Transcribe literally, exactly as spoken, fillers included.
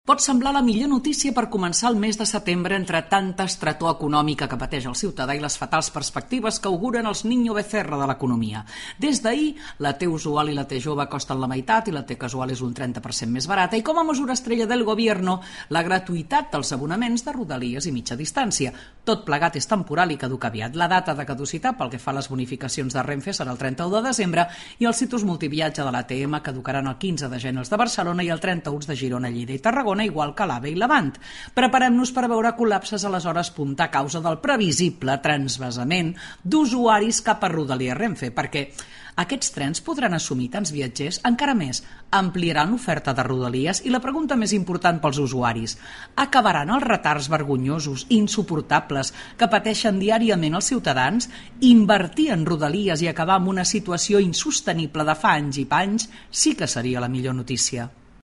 Pot semblar la millor notícia per començar el mes de setembre entre tanta estretor econòmica que pateix el ciutadà i les fatals perspectives que auguren els Niño Becerra de l'economia. Des d'ahir, la T usual i la T jove costen la meitat i la T casual és un trenta per cent més barata i com a mesura estrella del Gobierno, la gratuïtat dels abonaments de rodalies i mitja distància. Tot plegat és temporal i caduca aviat. La data de caducitat pel que fa a les bonificacions de Renfe serà el trenta-u de desembre i els citus multiviatge de l'A T M caducaran el quinze de gener els de Barcelona i el trenta-u de Girona, Lleida i Tarragona, igual que l'A V E i l'Avant. Preparem-nos per veure col·lapses a les hores punta a causa del previsible transvasament d'usuaris cap a Rodalies Renfe, perquè aquests trens podran assumir tants viatgers, encara més, ampliaran l'oferta de Rodalies i la pregunta més important pels usuaris: acabaran els retards vergonyosos, insuportables, que pateixen diàriament els ciutadans? Invertir en Rodalies i acabar amb una situació insostenible de fa anys i panys sí que seria la millor notícia.